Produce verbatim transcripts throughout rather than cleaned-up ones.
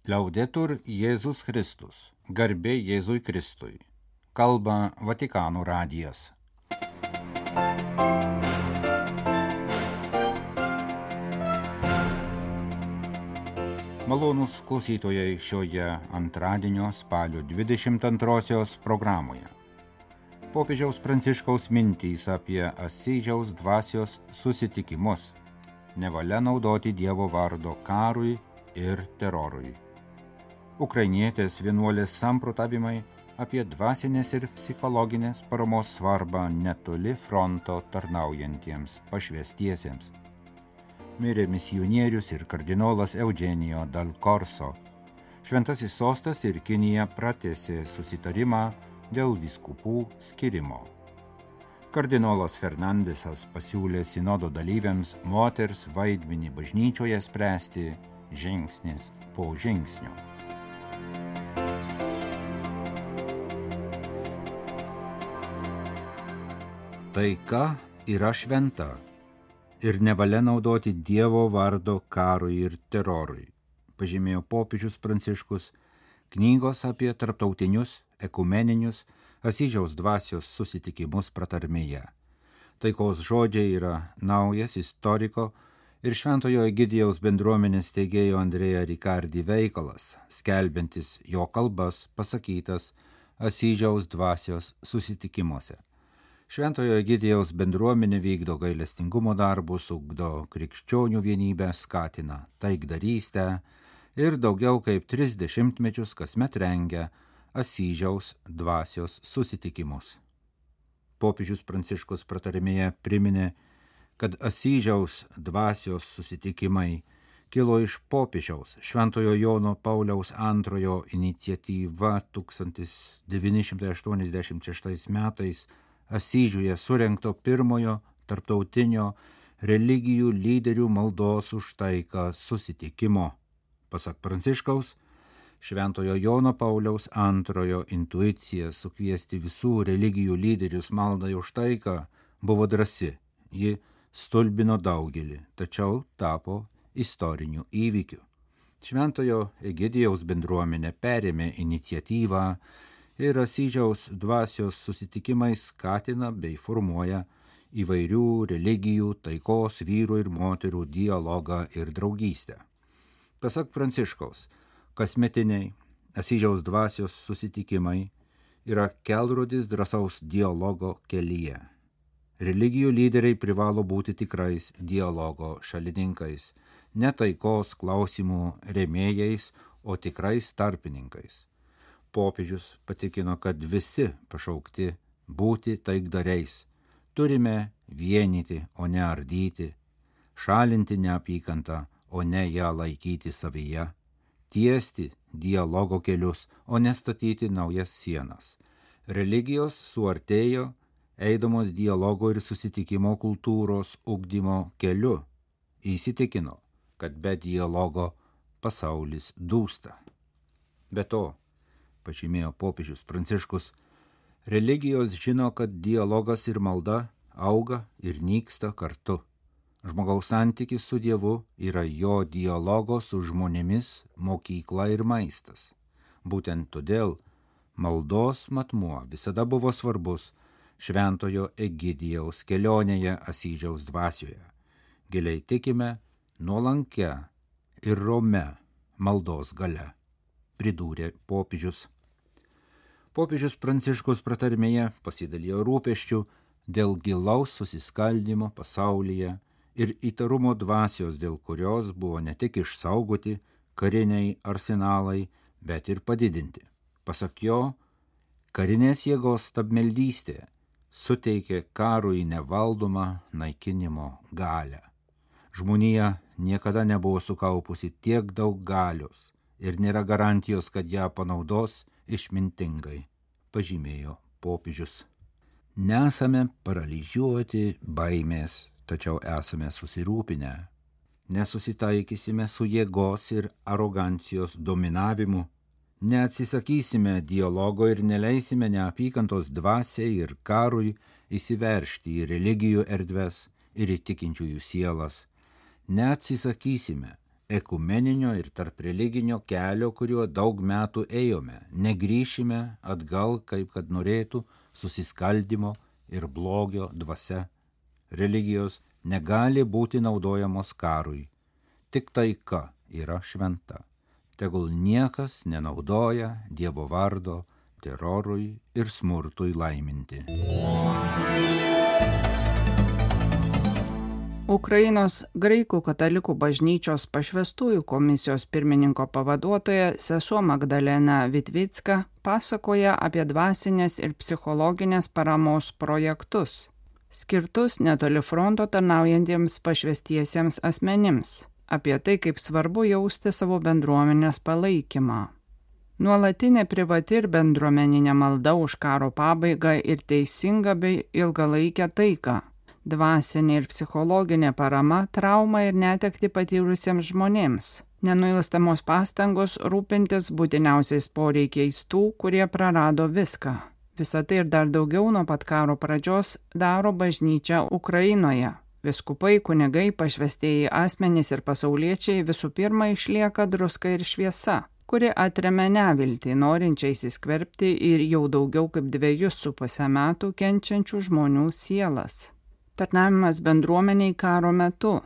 Liaudetur Jėzus Kristus, garbė Jėzui Kristui. Kalba Vatikano radijas. Malonūs klausytojai šioje antradienio spalio dvidešimt antrosios programoje. Popiežiaus Pranciškaus mintys apie Asyžiaus dvasios susitikimus. Nevalia naudoti Dievo vardo karui ir terorui. Ukrainietės vienuolės samprotavimai apie dvasinės ir psichologinės paramos svarbą netoli fronto tarnaujantiems pašvęstiesiems. Mirė misionierius ir kardinolas Eugenijo Dal Corso. Šventasis sostas ir Kinija pratęsė susitarimą dėl vyskupų skirimo. Kardinolas Fernandesas pasiūlė sinodo dalyviams moters vaidmenį bažnyčioje spręsti žingsnis po žingsnio. Taika yra šventa ir nevalia naudoti Dievo vardo karui ir terorui, pažymėjo popiežius Pranciškus knygos apie tarptautinius ekumeninius Asyžiaus dvasios susitikimus pratarmėje. Taikos žodžiai yra naujas istoriko ir Šventojo Egidijaus bendruomenės steigėjo Andrea Ricardi veikalas, skelbiantis jo kalbas pasakytas Asyžiaus dvasios susitikimuose. Šventojo Egidijaus bendruomenė vykdo gailestingumo darbus, ugdo krikščionių vienybę, skatina taikdarystę ir daugiau kaip tris dešimtmečius kasmet rengia Asyžiaus dvasios susitikimus. Popiežius Pranciškus pratarmėje priminė, kad Asyžiaus dvasios susitikimai kilo iš popiežiaus Šventojo Jono Pauliaus antrojo iniciatyva tūkstantis devyni šimtai aštuoniasdešimt šeštais metais Asyžiuje surengto pirmojo tarptautinio religijų lyderių maldos už taiką susitikimo. Pasak Pranciškaus, Šventojo Jono Pauliaus antrojo intuicija sukviesti visų religijų lyderius maldai už taiką buvo drąsi. Ji stulbino daugelį, tačiau tapo istoriniu įvykiu. Šventojo Egidijaus bendruomenė perėmė iniciatyvą ir Asyžiaus dvasios susitikimai skatina bei formuoja įvairių religijų, taikos, vyrų ir moterų dialogą ir draugystę. Pasak Pranciškaus, kasmetiniai Asyžiaus dvasios susitikimai yra kelrodis drąsaus dialogo kelyje. Religijų lyderiai privalo būti tikrais dialogo šalininkais, ne taikos klausimų rėmėjais, o tikrais tarpininkais. Popiežius patikino, kad visi pašaukti būti taikdariais. Turime vienyti, o ne ardyti, šalinti neapykantą, o ne ją laikyti savyje, tiesti dialogo kelius, o ne statyti naujas sienas. Religijos suartėjo, eidamos dialogo ir susitikimo kultūros ugdymo keliu, įsitikino, kad be dialogo pasaulis dūsta. Be to, pažymėjo popiežius Pranciškus, religijos žino, kad dialogas ir malda auga ir nyksta kartu. Žmogaus santykis su Dievu yra jo dialogo su žmonėmis mokykla ir maistas. Būtent todėl maldos matmuo visada buvo svarbus Šventojo Egidijaus kelionėje Asyžiaus dvasioje. Giliai tikime nuolankia ir romia maldos galia, pridūrė popiežius. Popiežius Pranciškus pratarmėje pasidalijo rūpesčių dėl gilaus susiskaldimo pasaulyje ir įtarumo dvasios, dėl kurios buvo ne tik išsaugoti kariniai arsenalai, bet ir padidinti. Pasak jo, karinės jėgos stabmeldystė suteikė karui nevaldomą naikinimo galią. Žmonija niekada nebuvo sukaupusi tiek daug galios ir nėra garantijos, kad ją panaudos išmintingai, pažymėjo popiežius. Nesame paralyžiuoti baimės, tačiau esame susirūpinę. Nesusitaikysime su jėgos ir arogancijos dominavimu, neatsisakysime dialogo ir neleisime neapykantos dvasiai ir karui įsiveržti į religijų erdves ir į tikinčiųjų sielas. Neatsisakysime ekumeninio ir tarp religinio kelio, kuriuo daug metų ėjome. Negrįšime atgal, kaip kad norėtų, susiskaldimo ir blogio dvasia. Religijos negali būti naudojamos karui. Tik taika yra šventa. Tegul niekas nenaudoja Dievo vardo terorui ir smurtui laiminti. Ukrainos graikų katalikų bažnyčios pašvęstųjų komisijos pirmininko pavaduotoja sesuo Magdalena Vitvicka pasakoja apie dvasinės ir psichologinės paramos projektus, skirtus netoli fronto tarnaujantiems pašvęstiesiems asmenims, apie tai, kaip svarbu jausti savo bendruomenės palaikymą. Nuolatinė privati ir bendruomeninė malda už karo pabaigą ir teisingą bei ilgalaikę taiką, dvasinė ir psichologinė parama traumą ir netekti patyrusiems žmonėms, nenuilstamos pastangos rūpintis būtiniausiais poreikiais tų, kurie prarado viską. Visą tai ir dar daugiau nuo pat karo pradžios daro bažnyčia Ukrainoje. Vyskupai, kunigai, pašvęstieji asmenys ir pasauliečiai visų pirma išlieka druska ir šviesa, kuri atremia neviltį, norinčiai įsiskverbti ir jau daugiau kaip dviejus su pusę metų kenčiančių žmonių sielas. Tarnavimas bendruomeniai karo metu.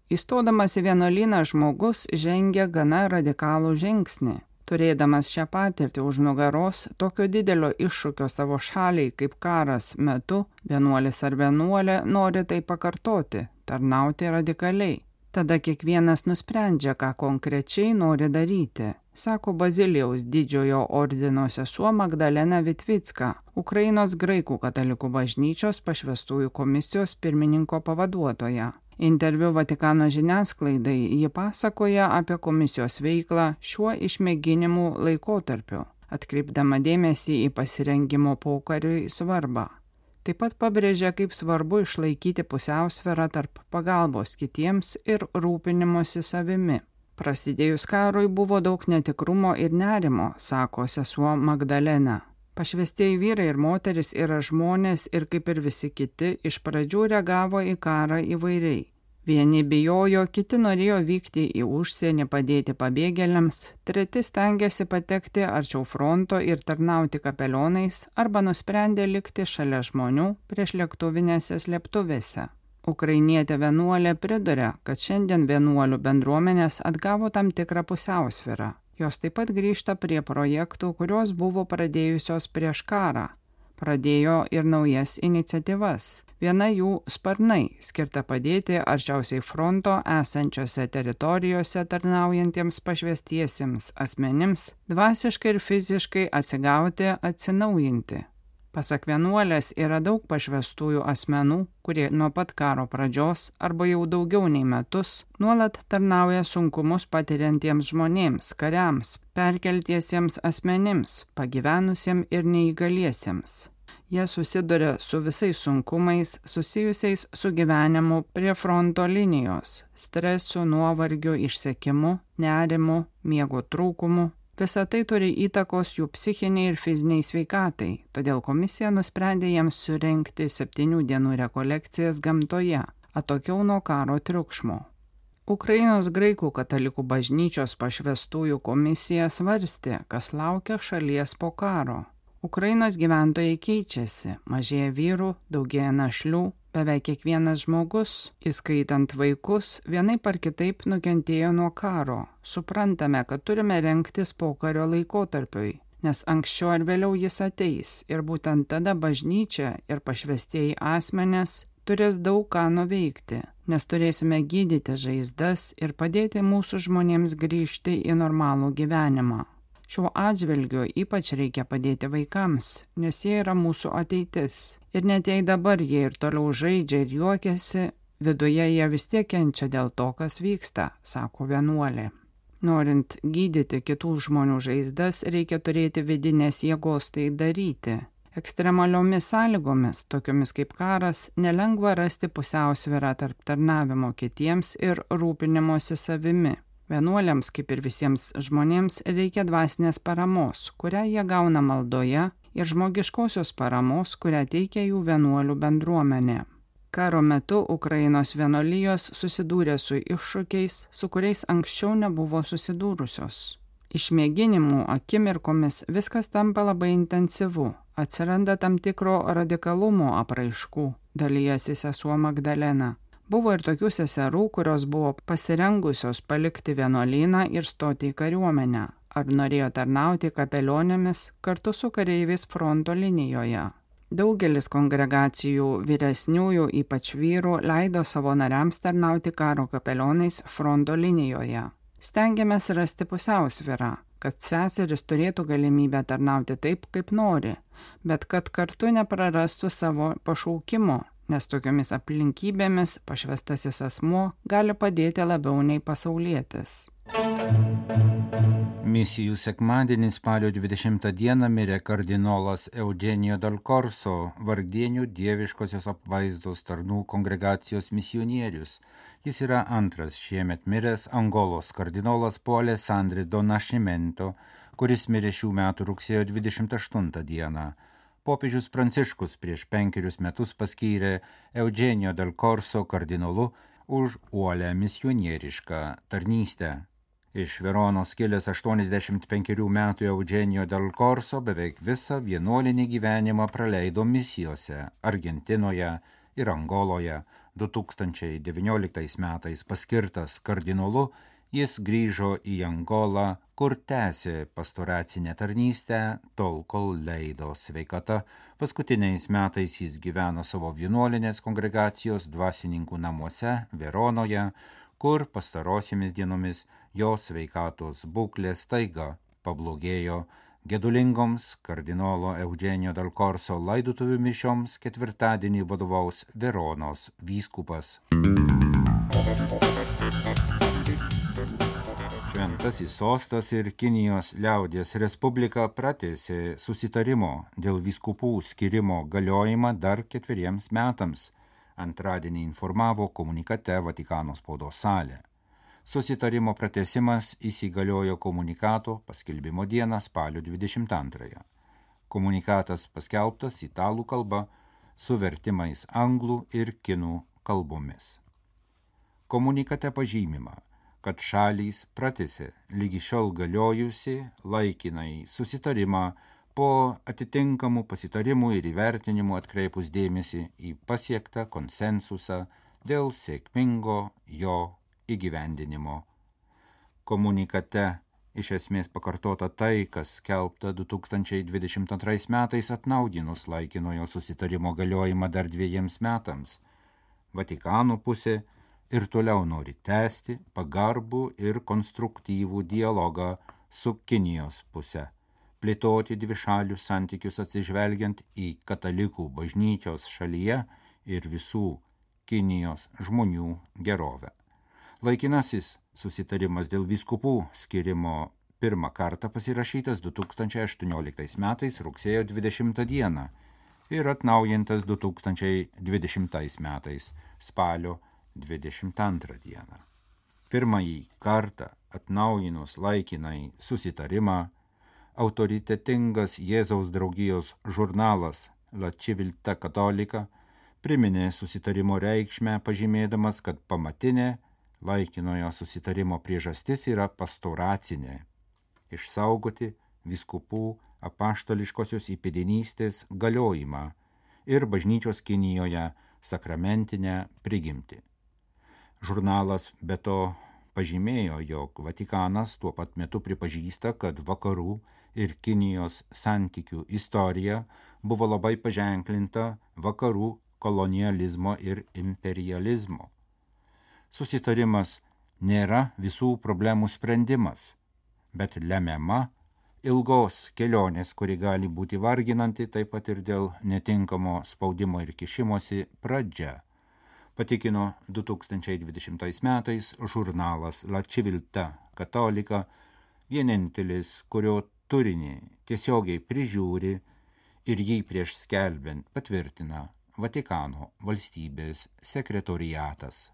Įstodamas į vienuolyną žmogus žengia gana radikalų žingsnį. Turėdamas šią patirtį už nugaros, tokio didelio iššūkio savo šaliai kaip karas metu, vienuolis ar vienuolė nori tai pakartoti, tarnauti radikaliai. Tada kiekvienas nusprendžia, ką konkrečiai nori daryti, sako Bazilijaus didžiojo ordino sesuo Magdalena Vitvicka, Ukrainos graikų katalikų bažnyčios pašvęstųjų komisijos pirmininko pavaduotoja. Interviu Vatikano žiniasklaidai ji pasakoja apie komisijos veiklą šiuo išmėginimų laikotarpiu, atkreipdama dėmesį į pasirengimo pokariui svarbą. Taip pat pabrėžia, kaip svarbu išlaikyti pusiausvyrą tarp pagalbos kitiems ir rūpinimosi savimi. Prasidėjus karui buvo daug netikrumo ir nerimo, sako sesuo Magdalena. Pašvęstieji vyrai ir moteris yra žmonės ir kaip ir visi kiti iš pradžių reagavo į karą įvairiai. Vieni bijojo, kiti norėjo vykti į užsienį padėti pabėgėliams, treti stengiasi patekti arčiau fronto ir tarnauti kapelionais arba nusprendė likti šalia žmonių prieš lėktuvinėse slėptuvėse. Ukrainietė vienuolė priduria, kad šiandien vienuolių bendruomenės atgavo tam tikrą pusiausvyrą. Jos taip pat grįžta prie projektų, kurios buvo pradėjusios prieš karą. Pradėjo ir naujas iniciatyvas. Viena jų sparnai, skirta padėti arčiausiai fronto esančiose teritorijose tarnaujantiems pašvęstiesiems asmenims, dvasiškai ir fiziškai atsigauti, atsinaujinti. Pasak vienuolės yra daug pašvęstųjų asmenų, kurie nuo pat karo pradžios arba jau daugiau nei metus nuolat tarnauja sunkumus patiriantiems žmonėms, kariams, perkeltiesiems asmenims, pagyvenusiems ir neįgaliesiems. Jie susiduria su visais sunkumais susijusiais su gyvenimu prie fronto linijos, stresu, nuovargiu, išsekimu, nerimu, miego trūkumu. Visa tai turi įtakos jų psichiniai ir fiziniai sveikatai, todėl komisija nusprendė jiems surengti septynių dienų rekolekcijas gamtoje, atokiau nuo karo triukšmo. Ukrainos graikų katalikų bažnyčios pašvęstųjų komisija svarstė, kas laukia šalies po karo. Ukrainos gyventojai keičiasi, mažėja vyrų, daugėja našlių, beveik kiekvienas žmogus, įskaitant vaikus, vienaip ar kitaip nukentėjo nuo karo. Suprantame, kad turime rengtis pokario laikotarpiui, nes anksčiau ar vėliau jis ateis ir būtent tada bažnyčia ir pašvęstieji asmenės turės daug ką nuveikti, nes turėsime gydyti žaizdas ir padėti mūsų žmonėms grįžti į normalų gyvenimą. Šiuo atžvilgiu ypač reikia padėti vaikams, nes jie yra mūsų ateitis. Ir net jei dabar jie ir toliau žaidžia ir juokiasi, viduje jie vis tiek kenčia dėl to, kas vyksta, sako vienuolė. Norint gydyti kitų žmonių žaizdas, reikia turėti vidinės jėgos tai daryti. Ekstremaliomis sąlygomis, tokiomis kaip karas, nelengva rasti pusiausvyrą tarp tarnavimo kitiems ir rūpinimosi savimi. Vienuoliams, kaip ir visiems žmonėms, reikia dvasinės paramos, kurią jie gauna maldoje, ir žmogiškosios paramos, kurią teikia jų vienuolių bendruomenė. Karo metu Ukrainos vienuolijos susidūrė su iššūkiais, su kuriais anksčiau nebuvo susidūrusios. Išmėginimų akimirkomis viskas tampa labai intensyvu, atsiranda tam tikro radikalumo apraiškų, dalijasi sesuo Magdalena. Buvo ir tokių seserų, kurios buvo pasirengusios palikti vienuolyną ir stoti į kariuomenę, ar norėjo tarnauti kapelionėmis kartu su kareiviais fronto linijoje. Daugelis kongregacijų vyresniųjų, ypač vyrų, leido savo nariams tarnauti karo kapelionais fronto linijoje. Stengiamės rasti pusiausvyrą, kad seseris turėtų galimybę tarnauti taip, kaip nori, bet kad kartu neprarastų savo pašaukimo, nes tokiomis aplinkybėmis pašvęstasis asmuo gali padėti labiau nei pasaulietis. Misijų sekmadienį spalio dvidešimtą dieną mirė kardinolas Eugenio Dal Corso, Vargdienių dieviškosios apvaizdos tarnų kongregacijos misionierius. Jis yra antras šiemet miręs Angolos kardinolas po Alessandri do Nascimento, kuris mirė šių metų rugsėjo dvidešimt aštuntą dieną. Popiežius Pranciškus prieš penkerius metus paskyrė Eugenio Dal Corso kardinolu už uolę misionierišką tarnystę. Iš Veronos kilęs aštuoniasdešimt penkerių metų Eugenio Dal Corso beveik visą vienuolinį gyvenimą praleido misijose Argentinoje ir Angoloje. du tūkstančiai devynioliktais metais paskirtas kardinolu, jis grįžo į Angolą, kur tęsė pastoracinę tarnystę, tol kol leido sveikata. Paskutiniais metais jis gyveno savo vienuolinės kongregacijos dvasininkų namuose Veronoje, kur pastarosiamis dienomis jo sveikatos būklė staiga pablogėjo. Gedulingoms kardinolo Eugenio Dal Corso laidotuvių mišioms ketvirtadienį vadovaus Veronos vyskupas. Šventasis sostas ir Kinijos liaudies respublika pratęsė susitarimo dėl vyskupų skirimo galiojimą dar ketveriems metams. Antradienį informavo komunikate Vatikano spaudos salė. Susitarimo pratęsimas įsigaliojo komunikato paskelbimo dieną spalio dvidešimt antrąją. Komunikatas paskelbtas italų kalba su vertimais anglų ir kinų kalbomis. Komunikate pažymima, kad šalys pratęsė lygi šiol galiojusi laikinai susitarimą po atitinkamų pasitarimų ir įvertinimų atkreipus dėmesį į pasiektą konsensusą dėl sėkmingo jo įgyvendinimo. Komunikate iš esmės pakartota tai, kas skelbta du tūkstančiai dvidešimt antrais metais atnaujinus laikinojo susitarimo galiojimą dar dviejiems metams. Vatikano pusė ir toliau nori tęsti pagarbų ir konstruktyvų dialogą su Kinijos puse, plėtoti dvišalius santykius atsižvelgiant į katalikų bažnyčios šalyje ir visų Kinijos žmonių gerovę. Laikinasis susitarimas dėl vyskupų skirimo pirmą kartą pasirašytas du tūkstančiai aštuonioliktais metais rugsėjo dvidešimtą dieną ir atnaujintas du tūkstančiai dvidešimtais metais spalio dvidešimt antrą dieną. Pirmąjį kartą atnaujinus laikinai susitarimą, autoritetingas Jėzaus draugijos žurnalas La Civiltà Cattolica priminė susitarimo reikšmę, pažymėdamas, kad pamatinė laikinojo susitarimo priežastis yra pastoracinė – išsaugoti vyskupų apaštališkosios įpėdinystės galiojimą ir bažnyčios Kinijoje sakramentinę prigimtį. Žurnalas be to pažymėjo, jog Vatikanas tuo pat metu pripažįsta, kad vakarų ir Kinijos santykių istorija buvo labai paženklinta vakarų kolonializmo ir imperializmo. Susitarimas nėra visų problemų sprendimas, bet lemiama ilgos kelionės, kuri gali būti varginanti taip pat ir dėl netinkamo spaudimo ir kišimosi pradžia, patikino du tūkstančiai dvidešimtais metais žurnalas La Civiltà Cattolica, vienintelis, kurio turinį tiesiogiai prižiūri ir jį prieš skelbiant patvirtina Vatikano valstybės sekretoriatas.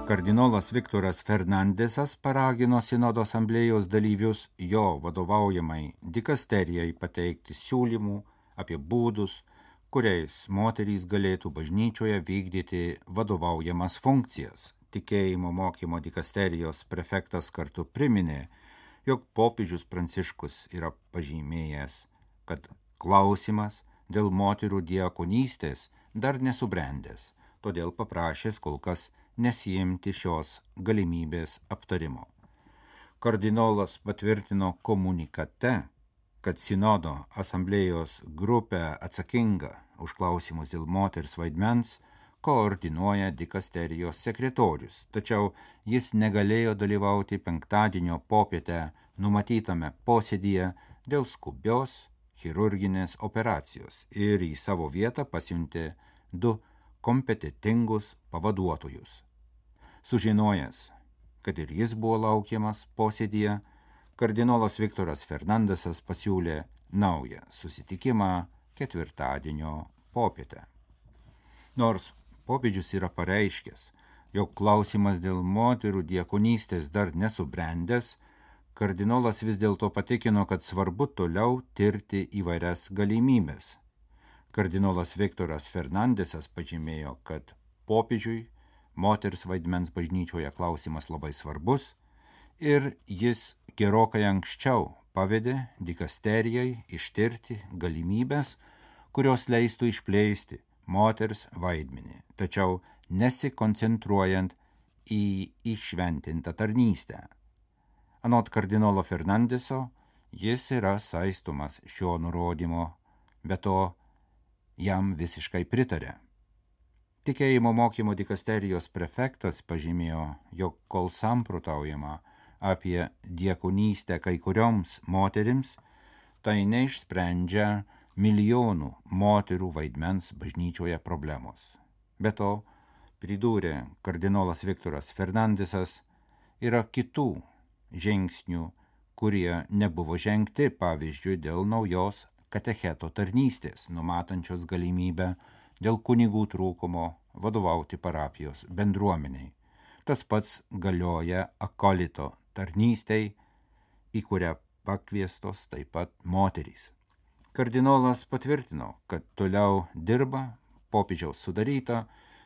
Kardinolas Viktoras Fernandesas paragino sinodo asamblėjos dalyvius jo vadovaujamai dikasterijai pateikti siūlymų apie būdus, kuriais moterys galėtų bažnyčioje vykdyti vadovaujamas funkcijas. Tikėjimo mokymo dikasterijos prefektas kartu priminė, jog popiežius Pranciškus yra pažymėjęs, kad klausimas dėl moterų diakonystės dar nesubrendęs, todėl paprašęs kol kas nesijimti šios galimybės aptarimo. Kardinolas patvirtino komunikate, kad sinodo asamblėjos grupė atsakinga už klausimus dėl moters vaidmens koordinuoja dikasterijos sekretorius, tačiau jis negalėjo dalyvauti penktadienio popietę numatytame posėdyje dėl skubios chirurginės operacijos ir į savo vietą pasiuntė du kompetentingus pavaduotojus. Sužinojęs, kad ir jis buvo laukiamas posėdyje, kardinolas Viktoras Fernandesas pasiūlė naują susitikimą ketvirtadienio popietę. Nors popiežius yra pareiškęs, jog klausimas dėl moterų diakonystės dar nesubrendęs, kardinolas vis dėlto patikino, kad svarbu toliau tirti įvairias galimybės. Kardinolas Viktoras Fernandesas pažymėjo, kad popiežiui moters vaidmens bažnyčioje klausimas labai svarbus ir jis gerokai anksčiau pavedė dikasterijai ištirti galimybės, kurios leistų išplėsti moters vaidmenį, tačiau nesikoncentruojant į įšventintą tarnystę. Anot kardinolo Fernandeso, jis yra saistomas šio nurodymo, be to jam visiškai pritarė. Tikėjimo mokymo dikasterijos prefektas pažymėjo, jog kol samprotaujama apie diakonystę kai kurioms moterims, tai neišsprendžia milijonų moterų vaidmens bažnyčioje problemos. Be to, pridūrė kardinolas Viktoras Fernandesas, yra kitų žingsnių, kurie nebuvo žengti, pavyzdžiui, dėl naujos katecheto tarnystės, numatančios galimybę dėl kunigų trūkumo vadovauti parapijos bendruomeniai. Tas pats galioja akolito tarnystei, į kurią pakviestos taip pat moterys. Kardinolas patvirtino, kad toliau dirba popiežiaus sudaryta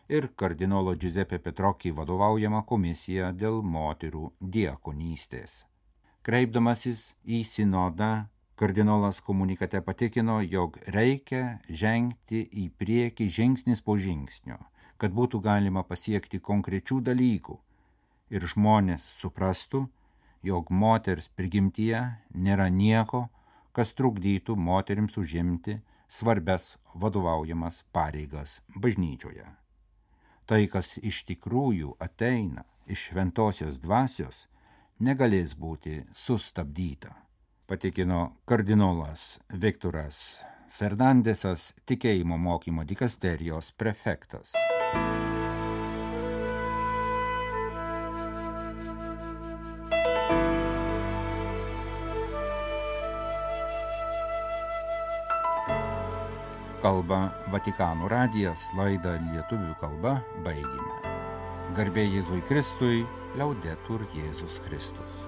ir kardinolo Giuseppe Petrocchi vadovaujama komisija dėl moterų diakonystės. Kreipdamasis į sinodą, kardinolas komunikate patikino, jog reikia žengti į priekį žingsnis po žingsnio, kad būtų galima pasiekti konkrečių dalykų ir žmonės suprastų, jog moters prigimtyje nėra nieko, kas trukdytų moterims užimti svarbias vadovaujamas pareigas bažnyčioje. Tai, kas iš tikrųjų ateina iš šventosios dvasios, negalės būti sustabdyta, patikino kardinolas Viktoras Fernandesas, tikėjimo mokymo dikasterijos prefektas. Kalba Vatikano radijas, laidą lietuvių kalba baigėme. Garbė Jėzui Kristui, Liaudetur Jėzus Kristus.